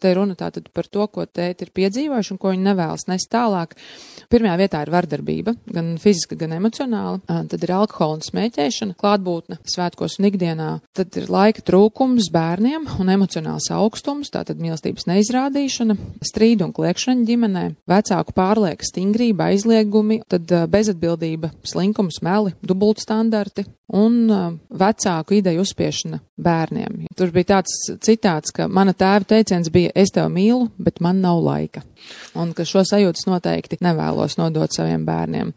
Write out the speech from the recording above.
Te runa tātad par to, ko tēti ir piedzīvojuši un ko viņi nevēlas nest tālāk. Pirmajā vietā ir vardarbība, gan fiziska, gan emocionāla. Tad ir alkohola un smēķēšana, klātbūtne svētkos un ikdienā. Tad ir laika trūkums bērniem un emocionāls augstums, tātad mīlestības neizrādīšana, strīdu un kliekšana ģimenē, vecāku pārlieka stingrība, aizliegumi, tad bezatbildība, slinkums, meli, dubultstandarti un vecāku ideju uzspiešana bērniem. Tur bija tāds citāts, ka mana tēva teiciens bija: es tevi mīlu, bet man nav laika. Un ka šo sajūtas noteikti nevēlos nodot saviem bērniem.